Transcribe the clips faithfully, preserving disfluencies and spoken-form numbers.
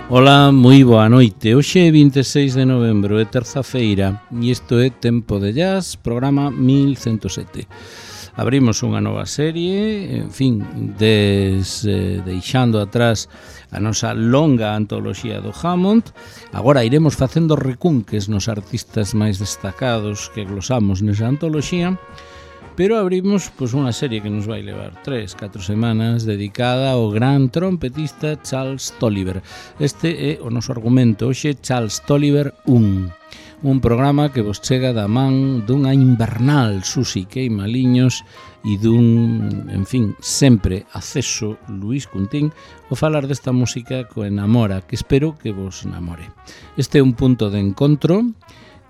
Ola, moi boa noite. Hoxe é vinte e seis de novembro, é terza-feira, e isto é Tempo de Jazz, programa mil ciento sete. Abrimos unha nova serie, en fin, des, eh, deixando atrás a nosa longa antoloxía do Hammond. Agora iremos facendo recunques nos artistas máis destacados que glosamos nesa antoloxía, pero abrimos pois, unha serie que nos vai levar tres, catro semanas dedicada ao gran trompetista Charles Tolliver. Este é o noso argumento. Hoxe Charles Tolliver un, un programa que vos chega da man dunha invernal Susi Queimaliños e dun, en fin, sempre acceso Luís Cuntín o falar desta música co enamora, que espero que vos namore. Este é un punto de encontro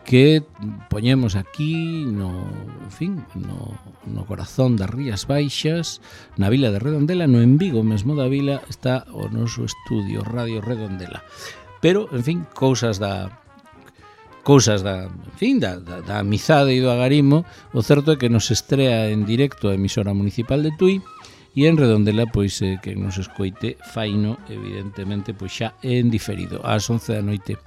que poñemos aquí no, en fin, no, no corazón das Rías Baixas, na vila de Redondela, no en Vigo mesmo da vila, está o noso estudio Radio Redondela. Pero, en fin, cousas da cousas da, en fin, da, da, da amizade e do agarimo. O certo é que nos estrea en directo a emisora municipal de Tui, e en Redondela, pois, eh, que nos escoite faino, evidentemente, pois xa en diferido, ás once da noite.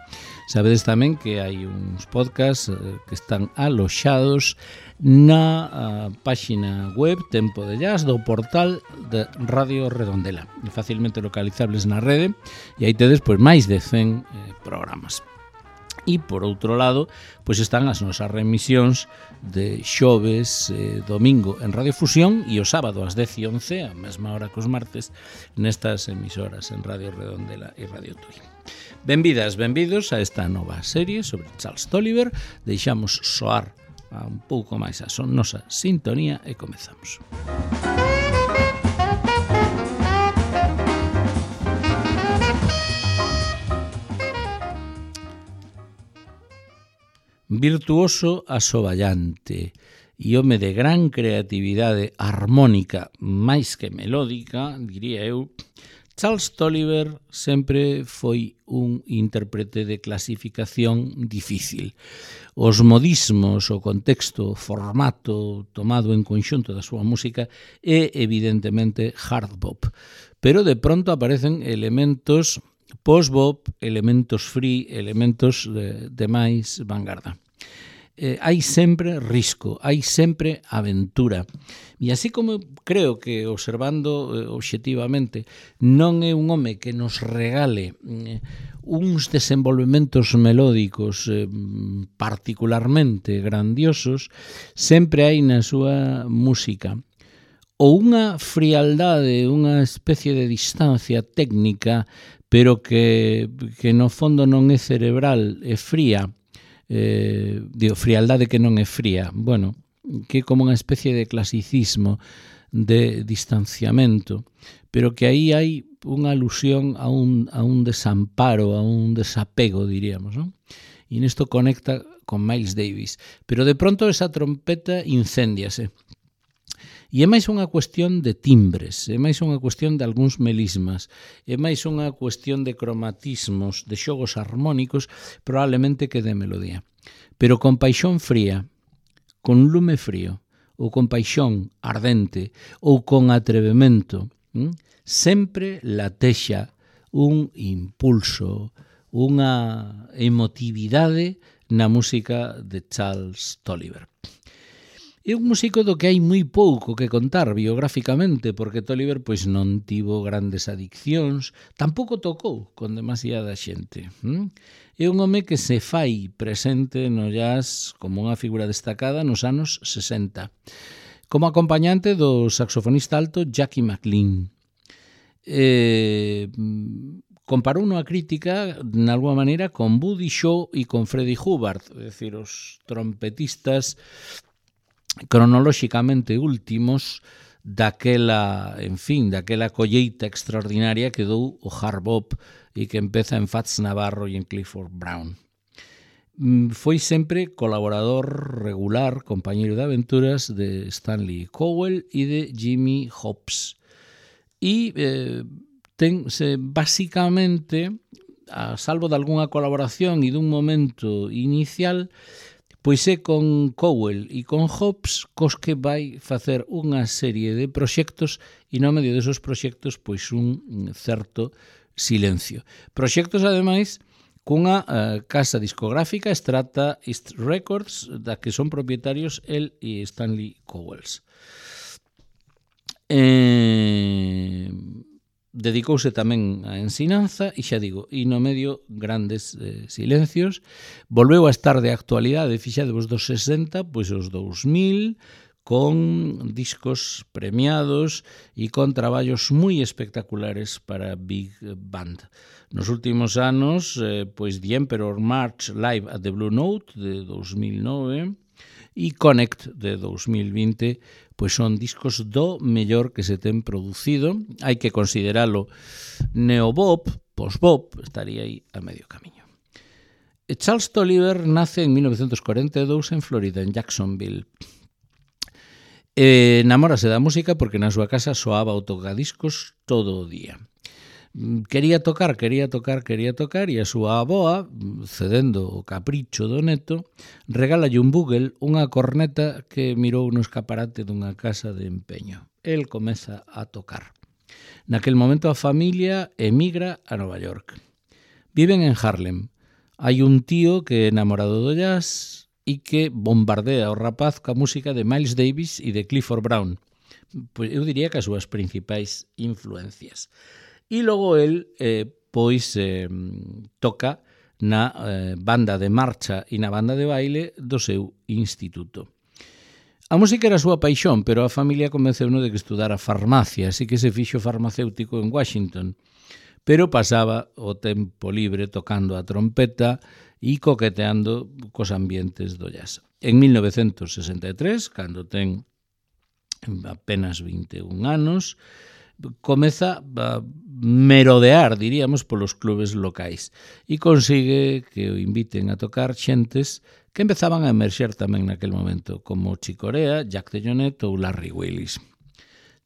Sabedes tamén que hai uns podcasts eh, que están aloxados na uh, páxina web Tempo de Jazz do portal de Radio Redondela, facilmente localizables na rede, e aí tedes pois máis de cen eh, programas. E, por outro lado, pois están as nosas remisións de xoves, eh, domingo en Radio Fusión e o sábado ás dez e once, a mesma hora que os martes, nestas emisoras en Radio Redondela e Radio Tui. Benvidas, benvidos a esta nova serie sobre Charles Tolliver. Deixamos soar un pouco máis a son nosa sintonía e comezamos. Virtuoso asoballante e home de gran creatividade armónica máis que melódica, diría eu, Charles Tolliver sempre foi un intérprete de clasificación difícil. Os modismos, o contexto, o formato tomado en conxunto da súa música é evidentemente hard bop, pero de pronto aparecen elementos post-bop, elementos free, elementos de, de máis vanguarda. Eh, hai sempre risco, hai sempre aventura. E así como creo que, observando eh, obxectivamente, non é un home que nos regale eh, uns desenvolvementos melódicos eh, particularmente grandiosos, sempre hai na súa música ou unha frialdade, unha especie de distancia técnica, pero que, que no fondo non é cerebral, é fría. Eh, digo, frialdade que non é fría, bueno, que é como unha especie de clasicismo, de distanciamento, pero que aí hai unha alusión a un, a un desamparo, a un desapego, diríamos, non? E nesto conecta con Miles Davis, pero de pronto esa trompeta incéndiase. E é máis unha cuestión de timbres, é máis unha cuestión de algúns melismas, é máis unha cuestión de cromatismos, de xogos armónicos, probablemente que de melodía. Pero con paixón fría, con lume frío, ou con paixón ardente, ou con atrevemento, hm? sempre latexa un impulso, unha emotividade na música de Charles Tolliver. É un músico do que hai moi pouco que contar biográficamente, porque Tolliver pois non tivo grandes adiccións, tampouco tocou con demasiada xente. Hm? É un home que se fai presente no jazz como unha figura destacada nos anos sesenta, como acompañante do saxofonista alto Jackie McLean. Eh, comparou unha crítica, de alguma maneira, con Buddy Shaw e con Freddie Hubbard, é dicir, os trompetistas cronolóxicamente últimos daquela, en fin, daquela colleita extraordinaria que dou o hard bop e que empeza en Fats Navarro e en Clifford Brown. Foi sempre colaborador regular, compañeiro de aventuras de Stanley Cowell e de Jimmy Hobbs. E eh, ten, se, basicamente, a salvo de algunha colaboración e dun momento inicial, pois é con Cowell e con Hobbs cos que vai facer unha serie de proxectos e no medio desos proxectos pois un certo Silencio. Proxectos, ademais, cunha uh, casa discográfica, Strata East Records, da que son propietarios el e Stanley Cowles. Eh, dedicouse tamén á ensinanza e xa digo, e no medio grandes eh, silencios. Volveu a estar de actualidade, fixadevos dos sesenta, pois os dous mil, con discos premiados e con traballos moi espectaculares para Big Band. Nos últimos anos, eh, pois The Emperor March Live at the Blue Note de dos mil nove e Connect de dos mil vinte, pois son discos do mellor que se ten producido. Hai que consideralo neobop, post-bop, estaría aí a medio camiño. Charles Tolliver nace en mil novecientos cuarenta e dous en Florida, en Jacksonville. E namórase da música porque na súa casa soaba o tocadiscos todo o día. Quería tocar, quería tocar, quería tocar e a súa avoa, cedendo o capricho do neto, regálalle un Bugle, unha corneta que mirou no escaparate dunha casa de empeño. El comeza a tocar. Naquel momento a familia emigra a Nova York. Viven en Harlem. Hai un tío que é enamorado do jazz e que bombardea o rapaz ca música de Miles Davis e de Clifford Brown. Pois eu diría que as súas principais influencias. E logo el, eh, pois, eh, toca na eh, banda de marcha e na banda de baile do seu instituto. A música era a súa paixón, pero a familia convenceu-no de que estudara farmacia, así que se fixo farmacéutico en Washington. Pero pasaba o tempo libre tocando a trompeta e coqueteando cos ambientes do jazz. En mil novecientos sesenta e tres, cando ten apenas vinte e un anos, comeza a merodear, diríamos, polos clubes locais e consigue que o inviten a tocar xentes que empezaban a emerxer tamén naquel momento, como Chick Corea, Jack DeJohnette ou Larry Willis.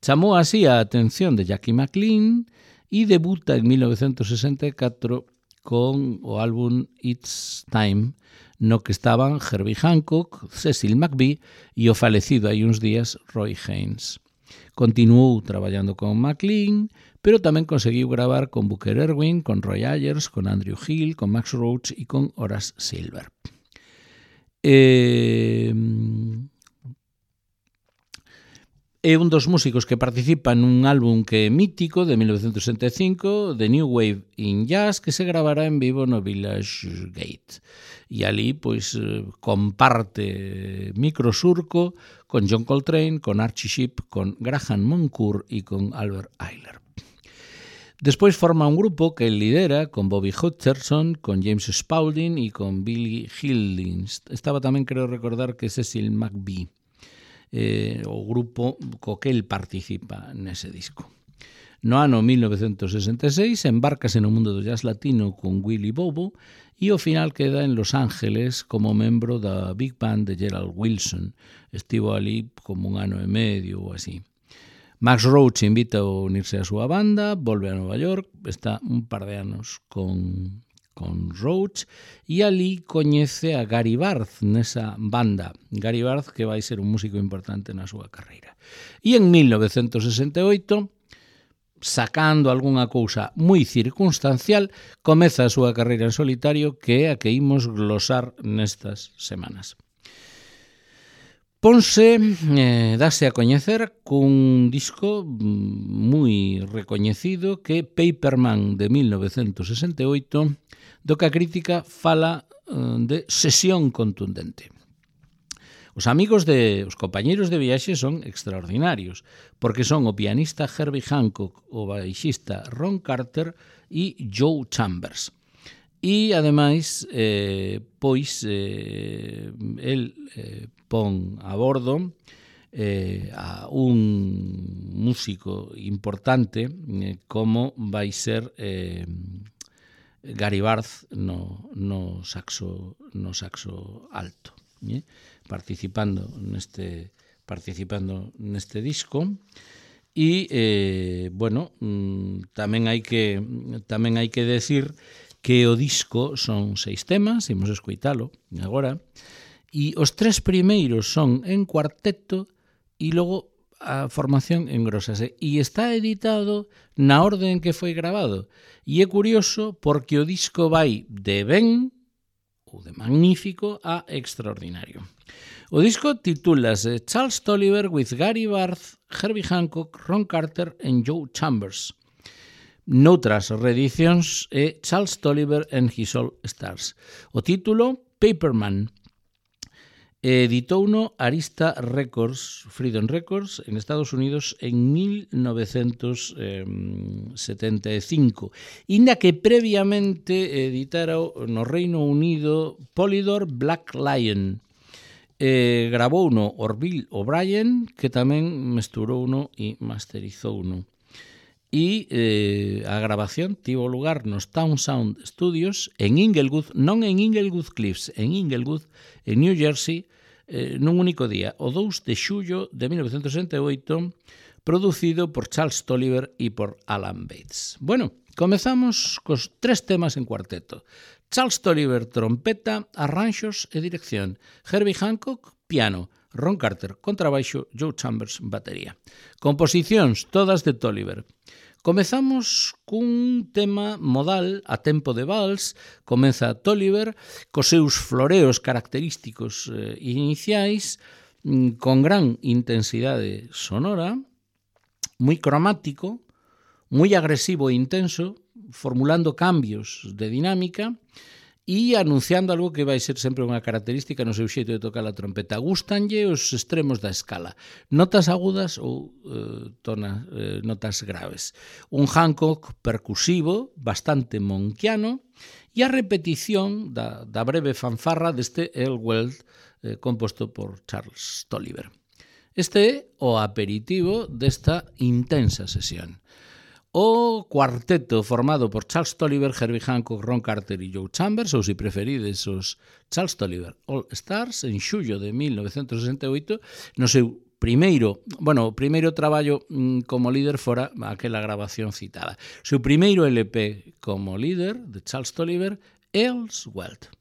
Chamou así a atención de Jackie McLean e debuta en mil novecientos sesenta e catro con o álbum It's Time, no que estaban Herbie Hancock, Cecil McVie e o falecido hai uns días Roy Haynes. Continuou traballando con McLean, pero tamén conseguiu gravar con Booker Erwin, con Roy Ayers, con Andrew Hill, con Max Roach e con Horace Silver. Eh... É un dos músicos que participa nun álbum que é mítico de mil novecientos sesenta e cinco, The New Wave in Jazz, que se gravará en vivo no Village Gate. E ali, pois, comparte microsurco con John Coltrane, con Archie Shepp, con Graham Moncourt e con Albert Ayler. Despois forma un grupo que el lidera con Bobby Hutcherson, con James Spaulding e con Billy Hildings. Estaba tamén, creo recordar, que Cecil McVie. Eh, o grupo co que el participa nese disco. No ano mil novecientos sesenta e seis embárcase no mundo do jazz latino con Willie Bobo e ao final queda en Los Ángeles como membro da Big Band de Gerald Wilson. Estivo ali como un ano e medio ou así. Max Roach invita a unirse a súa banda, volve a Nova York, está un par de anos con... con Roach, e ali coñece a Gary Barth nesa banda. Gary Barth, que vai ser un músico importante na súa carreira. E en mil novecientos sesenta e oito, sacando algunha cousa moi circunstancial, comeza a súa carreira en solitario, que é a que imos glosar nestas semanas. Ponse, eh, dase a coñecer cun disco moi recoñecido que é Paperman de mil novecientos sesenta e oito, do que a crítica fala eh, de sesión contundente. Os amigos de, os compañeiros de viaxe son extraordinarios, porque son o pianista Herbie Hancock, o baixista Ron Carter e Joe Chambers. E, ademais, eh, pois, eh, el eh, pon a bordo eh, a un músico importante eh, como vai ser eh, Gary Barth no, no, saxo, no saxo alto, eh? participando neste participando neste disco. E, eh, bueno, tamén hai que tamén hai que decir que o disco son seis temas, imos escoitalo agora, e os tres primeiros son en cuarteto e logo a formación engrósase e está editado na orden que foi grabado. E é curioso porque o disco vai de ben, ou de magnífico, a extraordinario. O disco titúlase Charles Tolliver with Gary Barth, Herbie Hancock, Ron Carter and Joe Chambers. Noutras reedicións é Charles Tolliver and His All Stars. O título, Paperman. Editouno Arista Records, Freedom Records, en Estados Unidos en mil novecientos setenta e cinco, inda que previamente editara no Reino Unido Polydor Black Lion. Eh, grabouno Orville O'Brien, que tamén mesturouno e masterizouno. E eh, a grabación tivo lugar nos Town Sound Studios en Inglewood, non en Inglewood Cliffs, en Inglewood, en New Jersey, eh, nun único día, o dous de xullo de mil novecientos sesenta e oito, producido por Charles Tolliver e por Alan Bates. Bueno, comezamos cos tres temas en cuarteto. Charles Tolliver, trompeta, arranxos e dirección. Herbie Hancock, piano. Ron Carter, contrabaixo. Joe Chambers, batería. Composicións todas de Tolliver. Comezamos cun tema modal a tempo de vals. Comeza Tolliver cos seus floreos característicos eh, iniciais, con gran intensidade sonora, moi cromático, moi agresivo e intenso, formulando cambios de dinámica e anunciando algo que vai ser sempre unha característica no seu xeito de tocar a trompeta. Gústanlle os extremos da escala, notas agudas ou eh, tona, eh, notas graves. Un Hancock percusivo, bastante monquiano, e a repetición da, da breve fanfarra deste Elwell eh, composto por Charles Tolliver. Este é o aperitivo desta intensa sesión. O cuarteto formado por Charles Tolliver, Herbie Hancock, Ron Carter e Joe Chambers, ou se preferides os Charles Tolliver All Stars, en xullo de mil novecientos sesenta e oito, no seu primeiro, bueno, o primeiro traballo mm, como líder fora aquela grabación citada. O seu primeiro L P como líder de Charles Tolliver, Earl's Wealth.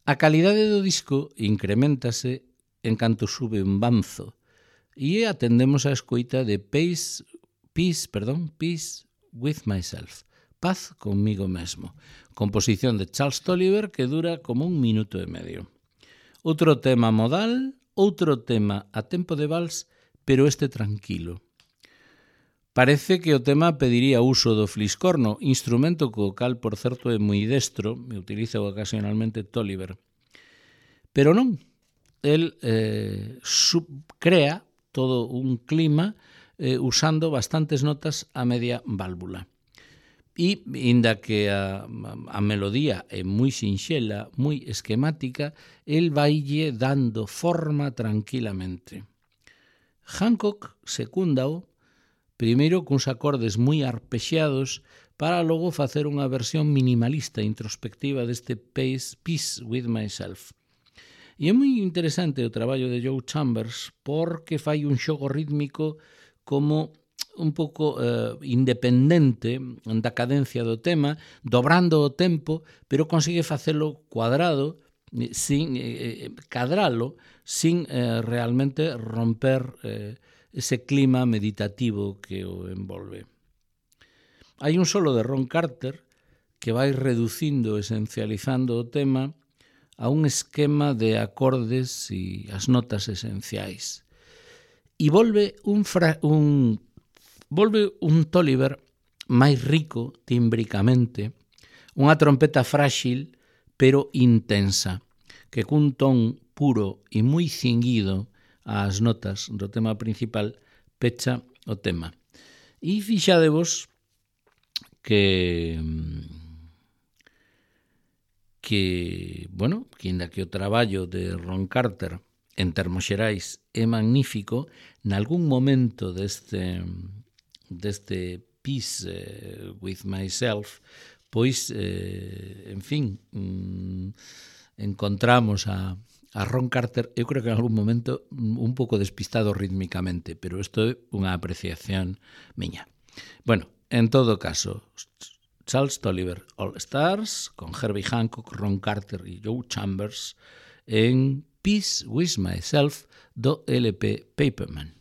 A calidade do disco incrementase en canto sube un banzo e atendemos a escoita de Peace, Peace, perdón, Peace with Myself, Paz conmigo mesmo, composición de Charles Tolliver que dura como un minuto e medio. Outro tema modal, outro tema a tempo de vals, pero este tranquilo. Parece que o tema pediría uso do fliscorno, instrumento co cal, por certo, é moi destro, e utiliza ocasionalmente Tolliver. Pero non, el eh, sub, crea todo un clima eh, usando bastantes notas a media válvula. E, inda que a, a melodía é moi sinxela, moi esquemática, el vaille dando forma tranquilamente. Hancock secúndao, primeiro cuns acordes moi arpexeados, para logo facer unha versión minimalista introspectiva deste Peace, Peace with Myself. E é moi interesante o traballo de Joe Chambers porque fai un xogo rítmico como un pouco eh, independente da cadencia do tema, dobrando o tempo, pero consigue facelo cuadrado, sin eh, cadralo, sin eh, realmente romper eh, ese clima meditativo que o envolve. Hai un solo de Ron Carter que vai reducindo, esencializando o tema a un esquema de acordes e as notas esenciais. E volve un, fra, un volve un Tolliver máis rico tímbricamente, unha trompeta frágil pero intensa, que cun ton puro e moi cinguido ás notas do tema principal pecha o tema. E fixadevos que que, bueno, que inda que o traballo de Ron Carter en termos xerais é magnífico, nalgún momento deste deste Peace eh, with Myself, pois, eh, en fin, mm, encontramos a, a Ron Carter, eu creo que en algún momento un pouco despistado rítmicamente, pero isto é unha apreciación miña. Bueno, en todo caso, Charles Tolliver All Stars, con Herbie Hancock, Ron Carter e Joe Chambers, en Peace with Myself do L P Paperman.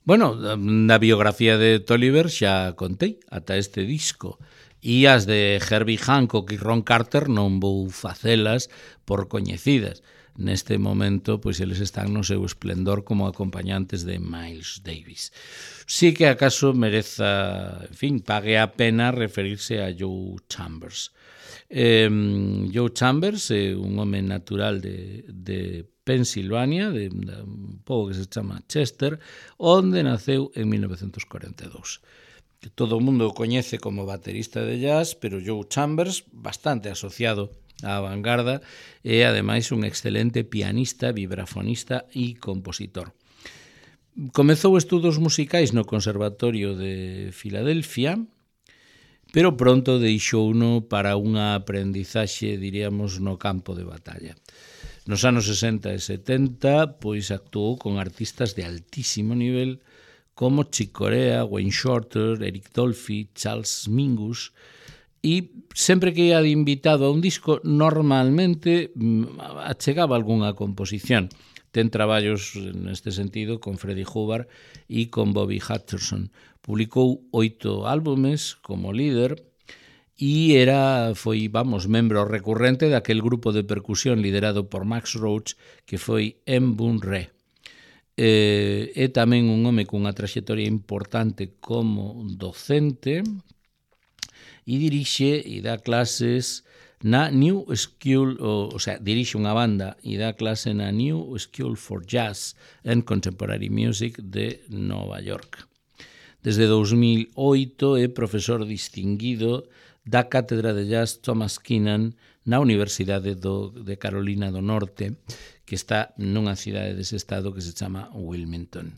Bueno, na biografía de Tolliver xa contei ata este disco. E as de Herbie Hancock e Ron Carter non vou facelas por coñecidas. Neste momento, pois eles están no seu esplendor como acompañantes de Miles Davis. Sí que acaso mereza, en fin, pague a pena referirse a Joe Chambers. Eh, Joe Chambers é un home natural de, de Pensilvania, de, de un pobo que se chama Chester, onde naceu en mil novecentos cuarenta e dous. Que todo o mundo o coñece como baterista de jazz, pero Joe Chambers, bastante asociado á vanguarda, é ademais un excelente pianista, vibrafonista e compositor. Comezou estudos musicais no Conservatorio de Filadelfia, pero pronto deixouno para unha aprendizaxe, diríamos, no campo de batalla. Nos anos sesenta e setenta, pois actuou con artistas de altísimo nivel como Chick Corea, Wayne Shorter, Eric Dolphy, Charles Mingus, e sempre que ia de invitado a un disco, normalmente achegaba algunha composición. Ten traballos neste sentido con Freddie Hubbard e con Bobby Hutcherson. Publicou oito álbumes como líder e era, foi, vamos, membro recurrente daquel grupo de percusión liderado por Max Roach que foi Mbun-Re. Eh, é tamén un home cunha traxectoria importante como docente e dirixe e dá clases na New School, o, o sea, dirixe unha banda e dá clase na New School for Jazz and Contemporary Music de Nova York. Desde dous mil oito é profesor distinguido da Cátedra de Jazz Thomas Keenan na Universidade do, de Carolina do Norte, que está nunha cidade dese estado que se chama Wilmington.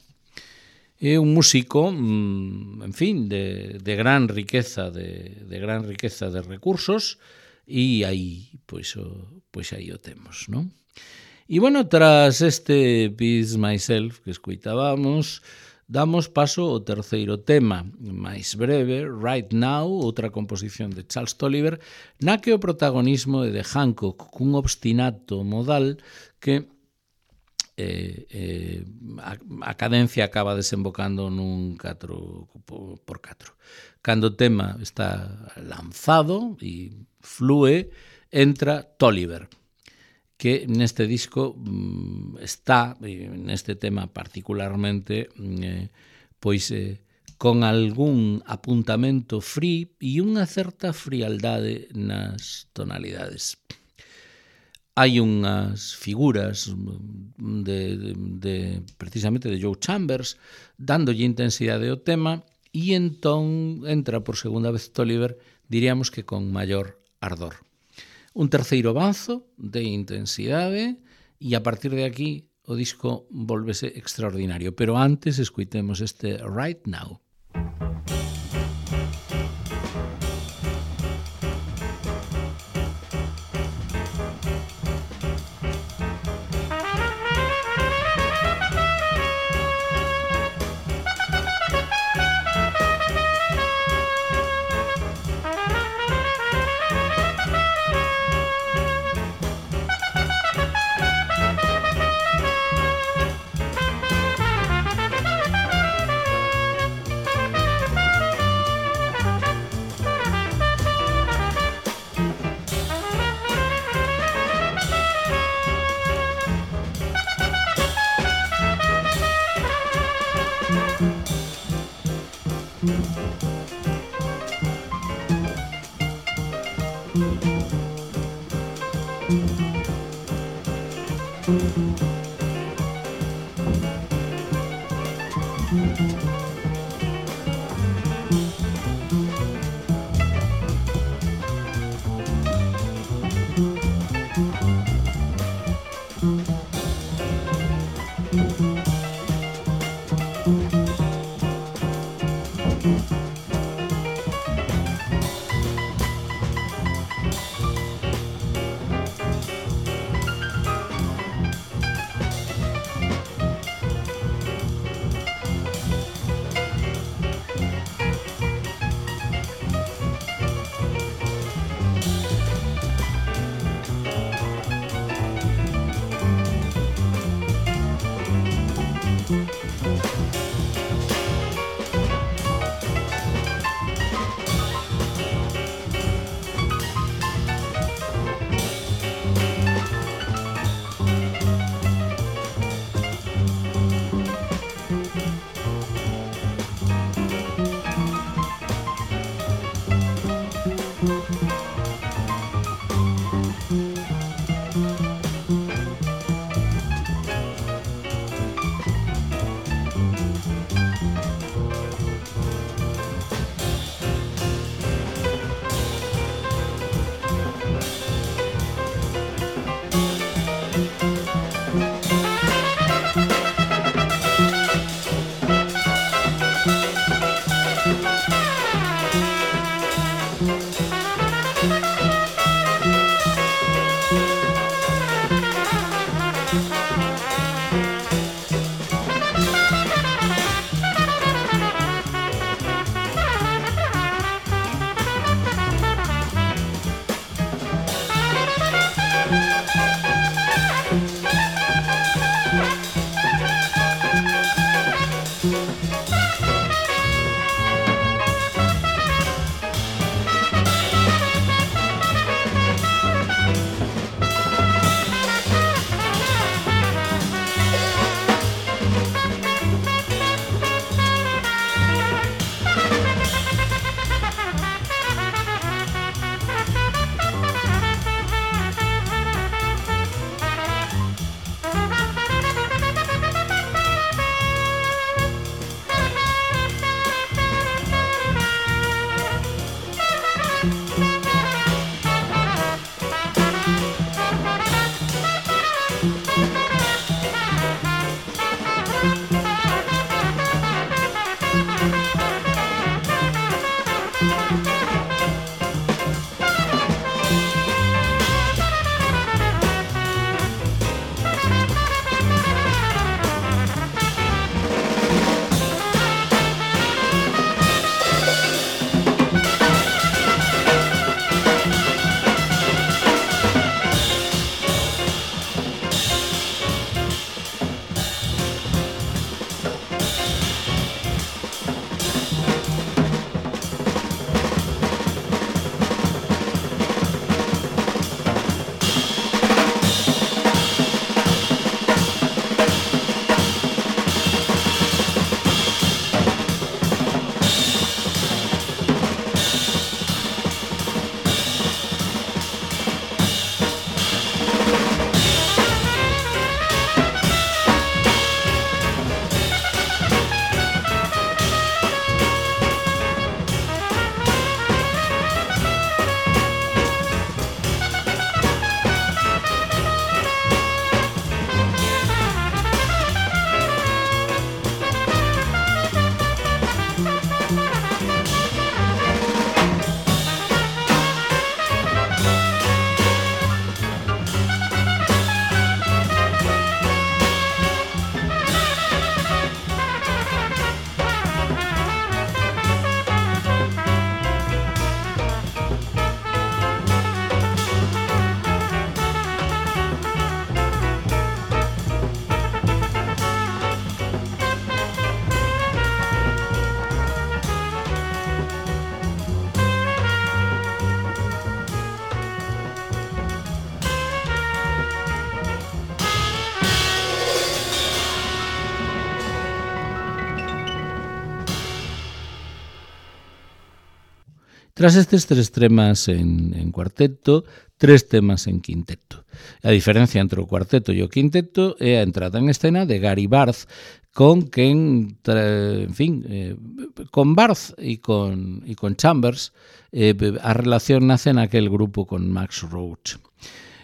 É un músico, en fin, de, de gran riqueza de, de gran riqueza de recursos e aí, pois, o, pois aí o temos, non? E, bueno, tras este Peace Myself que escoitábamos, damos paso ao terceiro tema, máis breve, Right Now, outra composición de Charles Tolliver, na que o protagonismo é de Hancock, cun obstinato modal que eh, eh, a, a cadencia acaba desembocando nun catro por catro. Cando o tema está lanzado e flúe, entra Tolliver, que neste disco está, neste tema particularmente, eh, pois eh, con algún apuntamento free e unha certa frialdade nas tonalidades. Hai unhas figuras de, de, de precisamente de Joe Chambers dándolle intensidade ao tema e entón entra por segunda vez Tolliver, diríamos que con maior ardor. Un terceiro avanzo de intensidade e a partir de aquí o disco volvese extraordinario. Pero antes escuitemos este Right Now. Tras estes tres temas en, en cuarteto, tres temas en quinteto. A diferencia entre o cuarteto e o quinteto é a entrada en escena de Gary Barth, con quen, en fin, eh, con Barth e con, e con Chambers, eh, a relación nace naquel grupo con Max Roach.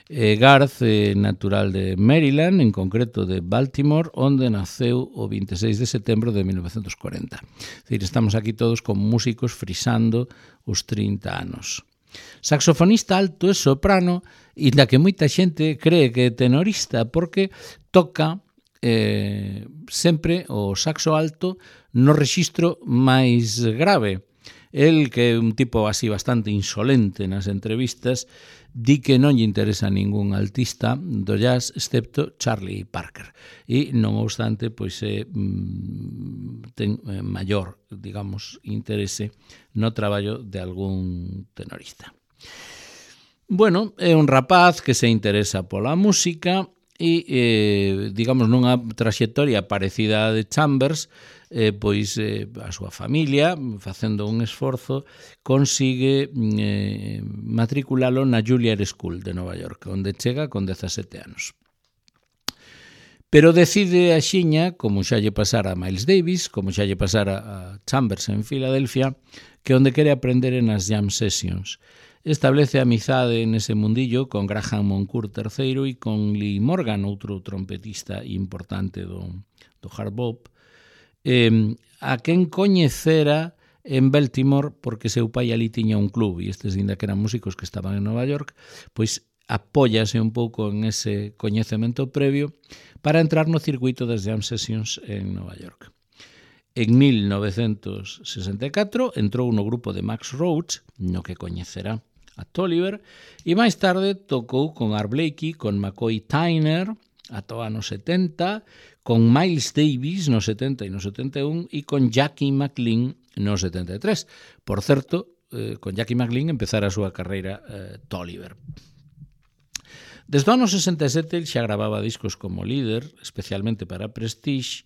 Eh, Garth é natural de Maryland, en concreto de Baltimore, onde naceu o veintiséis de setembro de mil novecientos cuarenta. É dicir, estamos aquí todos con músicos frisando os trinta anos. Saxofonista alto e soprano, e da que moita xente cree que é tenorista, porque toca eh, sempre o saxo alto no rexistro máis grave. El, que é un tipo así bastante insolente nas entrevistas, di que non lle interesa ningún altista do jazz excepto Charlie Parker. E, non obstante, pois é, ten maior, digamos, interese no traballo de algún tenorista. Bueno, é un rapaz que se interesa pola música e, eh, digamos, nunha traxectoria parecida a de Chambers, eh, pois eh, a súa familia, facendo un esforzo, consigue eh, matriculalo na Juilliard School de Nova York, onde chega con dezasete anos. Pero decide a xiña, como xa lle pasara a Miles Davis, como xa lle pasara a Chambers en Filadelfia, que onde quere aprender en as jam sessions. Establece amizade nese mundillo con Graham Moncourt terceiro e con Lee Morgan, outro trompetista importante do, do hard bop, eh, a quen coñecera en Baltimore porque seu pai ali tiña un club e estes, ainda que eran músicos que estaban en Nova York, pois apóllase un pouco en ese coñecemento previo para entrar no circuito das jam sessions en Nova York. En mil novecentos sesenta e catro entrou no grupo de Max Roach, no que coñecerá a Tolliver, e máis tarde tocou con Art Blakey, con McCoy Tyner, ata o ano setenta, con Miles Davis no setenta e no setenta e un e con Jackie McLean no setenta e tres. Por certo, eh, con Jackie McLean empezara a súa carreira eh, Tolliver. Desde o ano sesenta e sete xa gravaba discos como líder, especialmente para Prestige,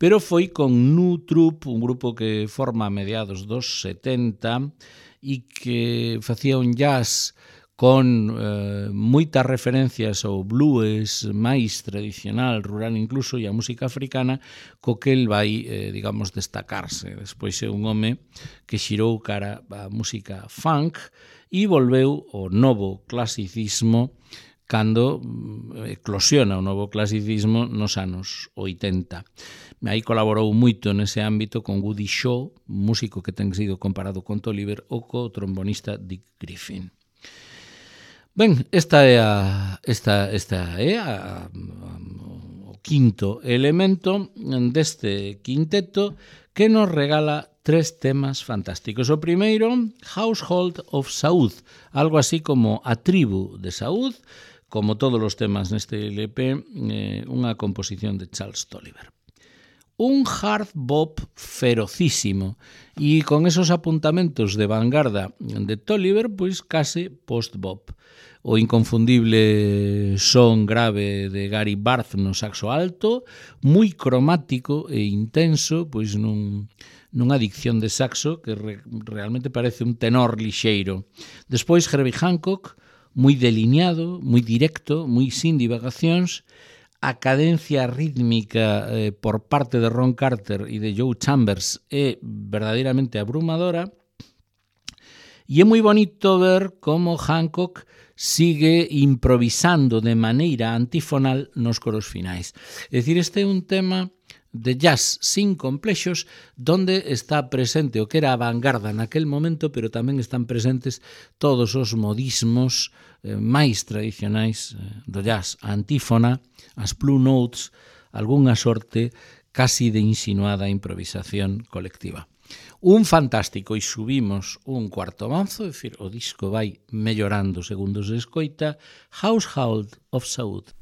pero foi con New Troupe, un grupo que forma a mediados dos setenta e que facía un jazz con eh, moitas referencias ao blues máis tradicional, rural incluso, e a música africana, co que el vai, eh, digamos, destacarse. Despois é un home que xirou cara a música funk e volveu ao novo clasicismo cando eclosiona o novo clasicismo nos anos oitenta. Aí colaborou moito nese ámbito con Woody Shaw, músico que ten sido comparado con Tolliver, ou co trombonista Dick Griffin. Ben, esta é a esta esta é a, a, o quinto elemento deste quinteto que nos regala tres temas fantásticos. O primeiro, Household of Saud, algo así como a tribu de Saud, como todos os temas neste L P, eh, unha composición de Charles Tolliver. Un hard bop ferocísimo e con esos apuntamentos de vanguarda de Tolliver, pois case post-bop. O inconfundible son grave de Gary Barth no saxo alto, moi cromático e intenso, pois nun, nunha dicción de saxo que re, realmente parece un tenor lixeiro. Despois Herbie Hancock, moi delineado, moi directo, moi sin divagacións. A cadencia rítmica eh, por parte de Ron Carter e de Joe Chambers é verdadeiramente abrumadora e é moi bonito ver como Hancock sigue improvisando de maneira antifonal nos coros finais. É dicir, este é un tema de jazz sin complexos, donde está presente o que era a vanguarda naquel momento, pero tamén están presentes todos os modismos eh, máis tradicionais eh, do jazz, a antífona, as blue notes, algunha sorte casi de insinuada improvisación colectiva. Un fantástico, e subimos un cuarto manzo, é dicir, o disco vai mellorando segundo se escoita, Household of Saud.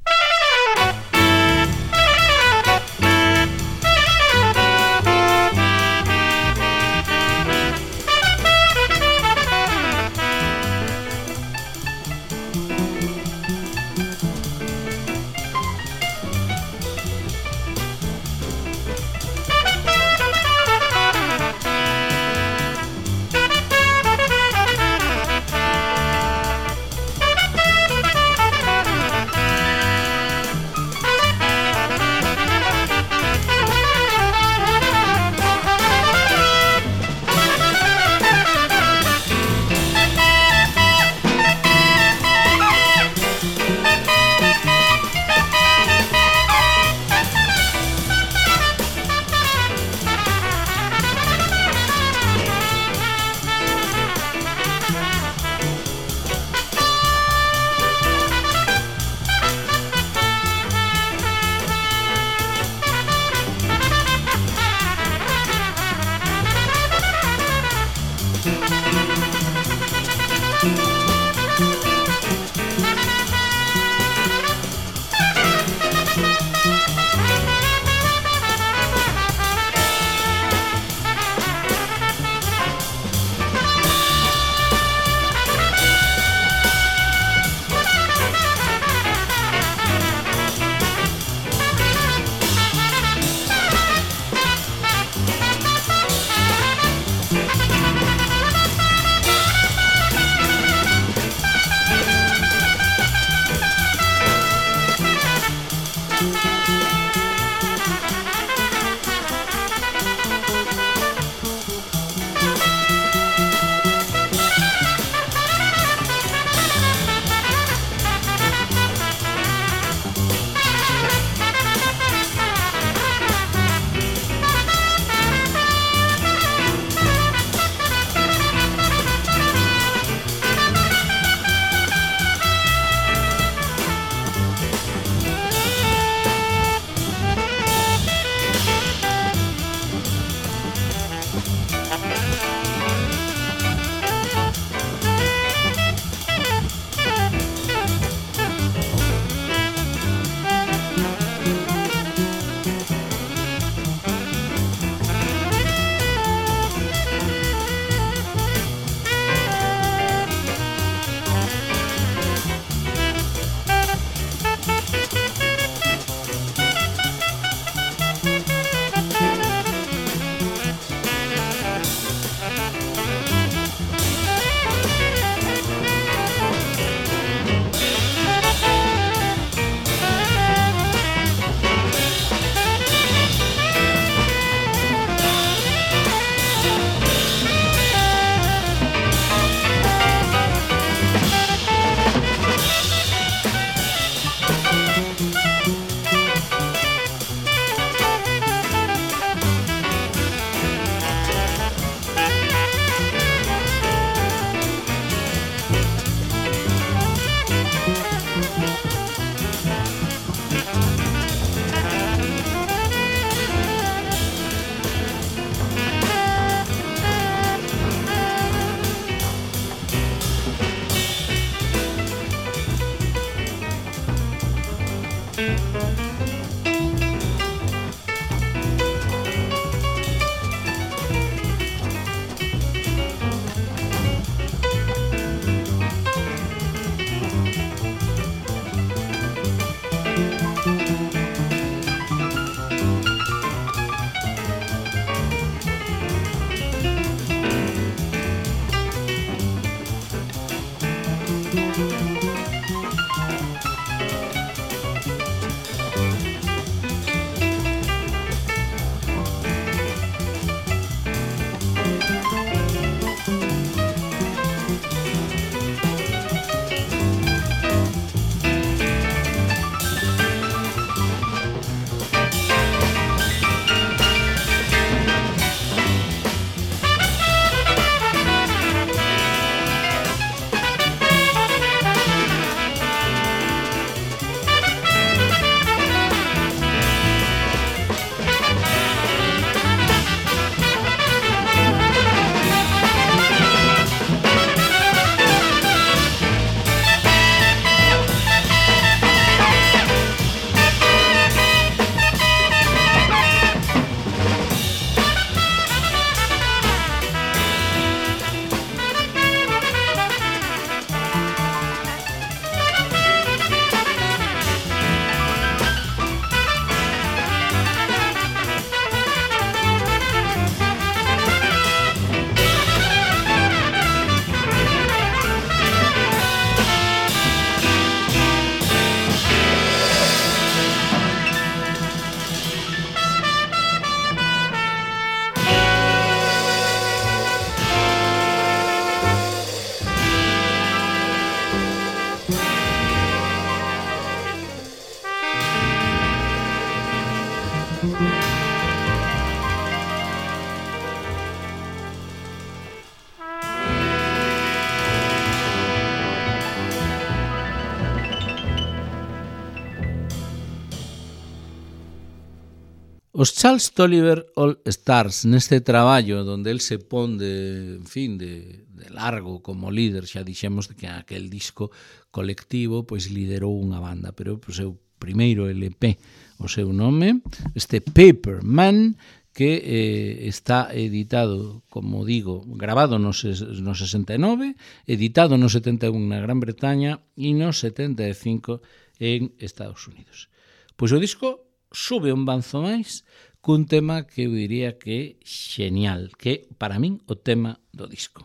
Os Charles Tolliver All Stars, neste traballo donde el se pon de, en fin, de, de largo como líder, xa dixemos que aquel disco colectivo pois liderou unha banda, pero o seu primeiro L P, o seu nome, este Paper Man, que eh, está editado, como digo, grabado no, no sesenta e nove, editado no setenta e un na Gran Bretaña e no setenta e cinco en Estados Unidos. Pois o disco sube un banzo máis cun tema que eu diría que é xenial, que para min o tema do disco.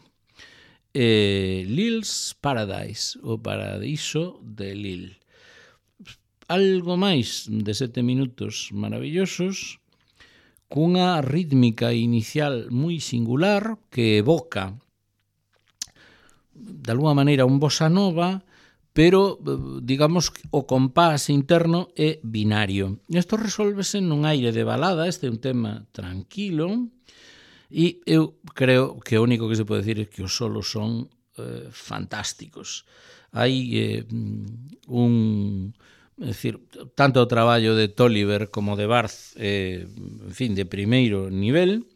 Eh, Lil's Paradise, o Paradiso de Lil. Algo máis de sete minutos maravillosos, cunha rítmica inicial moi singular que evoca de alguma maneira un bossa nova, pero, digamos, o compás interno é binario. Isto resolvese nun aire de balada, este é un tema tranquilo, e eu creo que o único que se pode decir é que os solos son eh, fantásticos. Hai eh, un... É dicir, tanto o traballo de Tolliver como de Barth, eh, en fin, de primeiro nivel,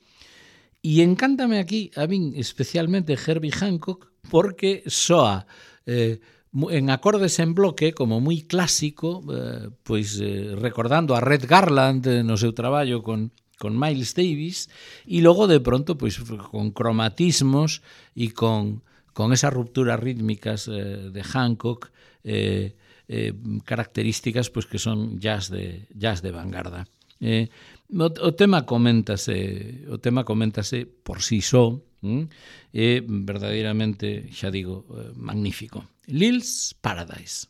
e encántame aquí, a min, especialmente Herbie Hancock, porque soa... Eh, en acordes en bloque, como moi clásico, eh, pois eh, recordando a Red Garland eh, no seu traballo con, con Miles Davis, e logo de pronto pois con cromatismos e con, con esas rupturas rítmicas eh, de Hancock, eh, eh, características pois que son jazz de, jazz de vanguarda. Eh, o, o tema coméntase, o tema coméntase por si só, hm? É verdadeiramente, xa digo, eh, magnífico. Lil's Paradise.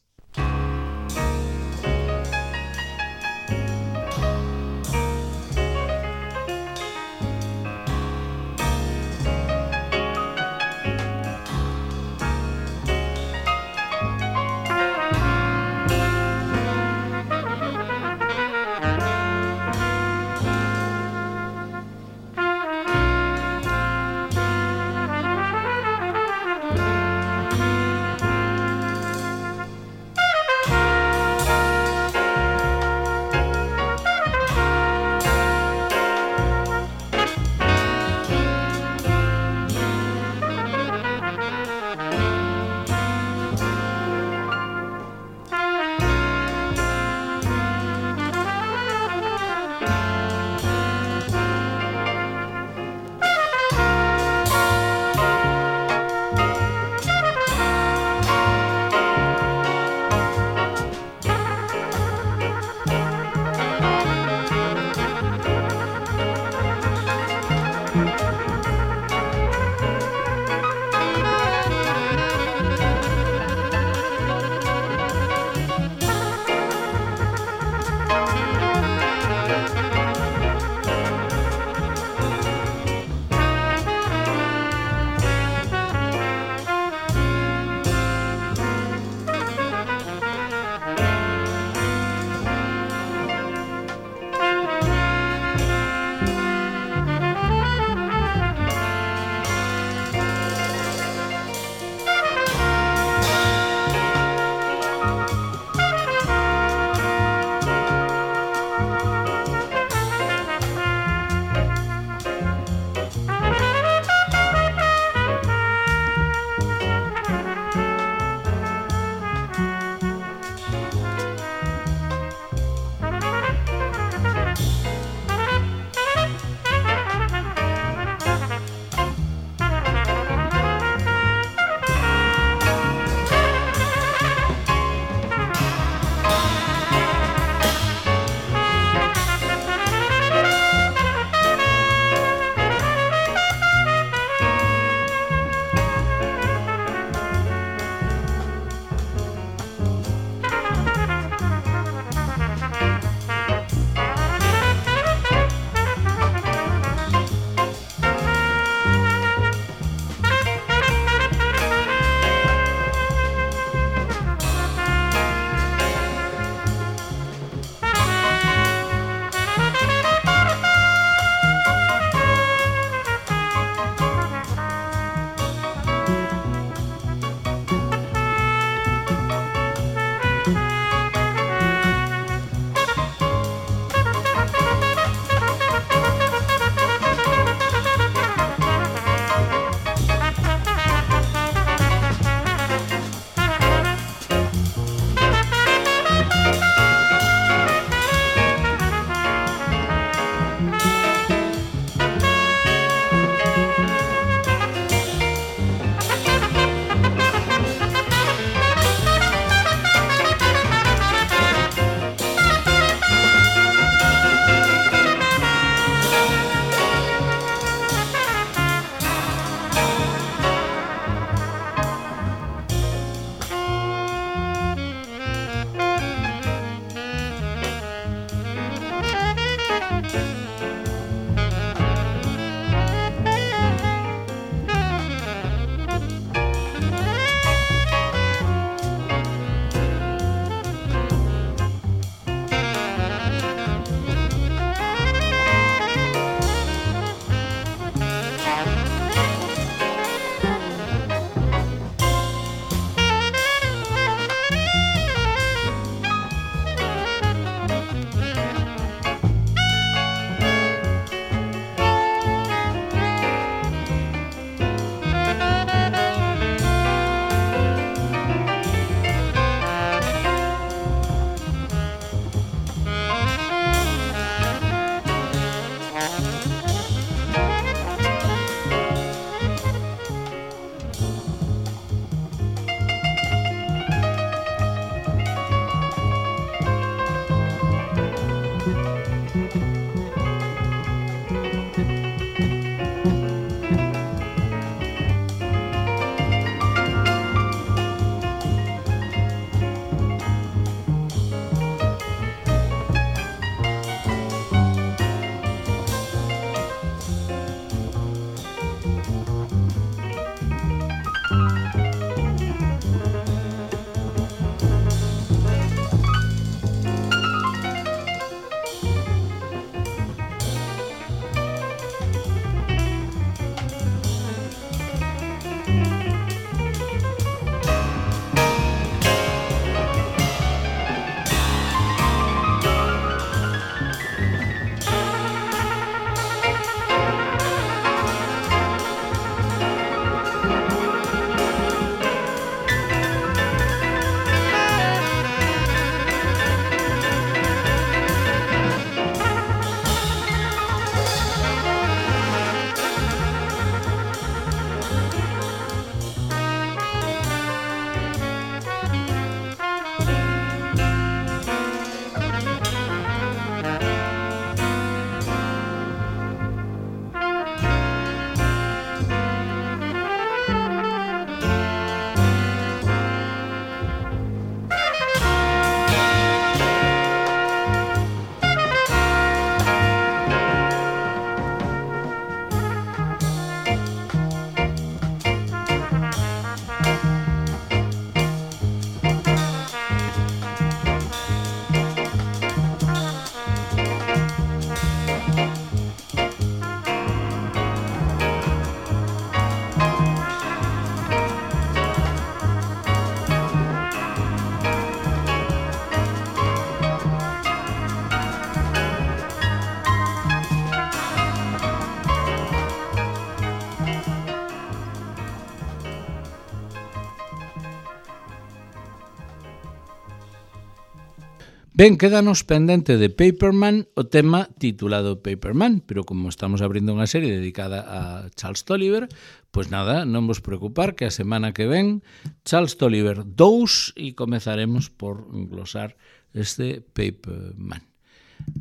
Ben, quédanos pendente de Paperman o tema titulado Paperman, pero como estamos abrindo unha serie dedicada a Charles Tolliver, pois nada, non vos preocupar que a semana que ven Charles Tolliver dous e comezaremos por glosar este Paperman.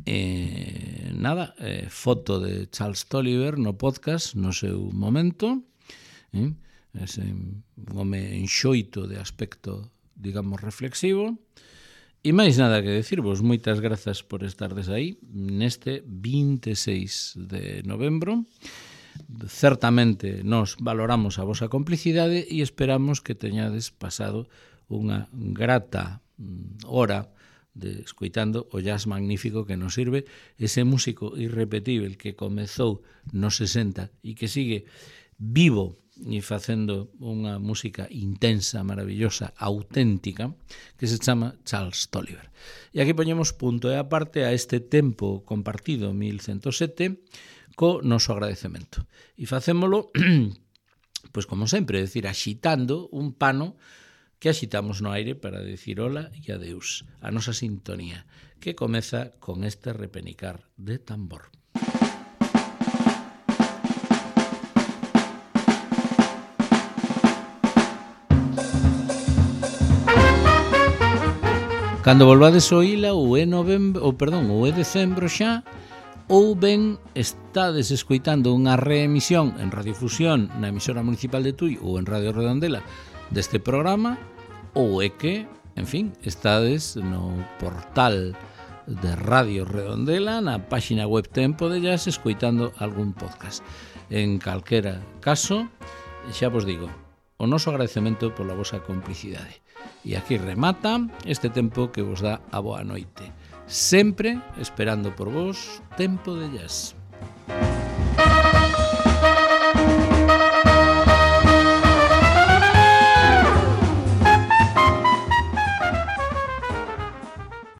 Eh, nada, eh, foto de Charles Tolliver no podcast no seu momento, eh, ese un home enxoito de aspecto, digamos, reflexivo. E máis nada que decirvos, moitas grazas por estardes aí neste vinte e seis de novembro. Certamente nos valoramos a vosa complicidade e esperamos que teñades pasado unha grata hora de escoitando o jazz magnífico que nos sirve ese músico irrepetível que comezou nos sesenta e que sigue vivo e facendo unha música intensa, maravillosa, auténtica, que se chama Charles Tolliver. E aquí poñemos punto e aparte a este tempo compartido mil ciento sete co noso agradecemento. E facémolo, pois como sempre, decir, axitando un pano que axitamos no aire para decir hola e adeus, a nosa sintonía, que comeza con este repenicar de tambor. Cando volvades o ila ou é novembro, ou perdón, ou é decembro xa, ou ben estades escoitando unha reemisión en Radiofusión na emisora municipal de Tui ou en Radio Redondela deste programa, ou é que, en fin, estades no portal de Radio Redondela, na páxina web Tempo de Jazz, escoitando algún podcast. En calquera caso, xa vos digo, o noso agradecemento pola vosa complicidade. E aquí remata este tempo que vos dá a boa noite. Sempre esperando por vos, Tempo de Jazz.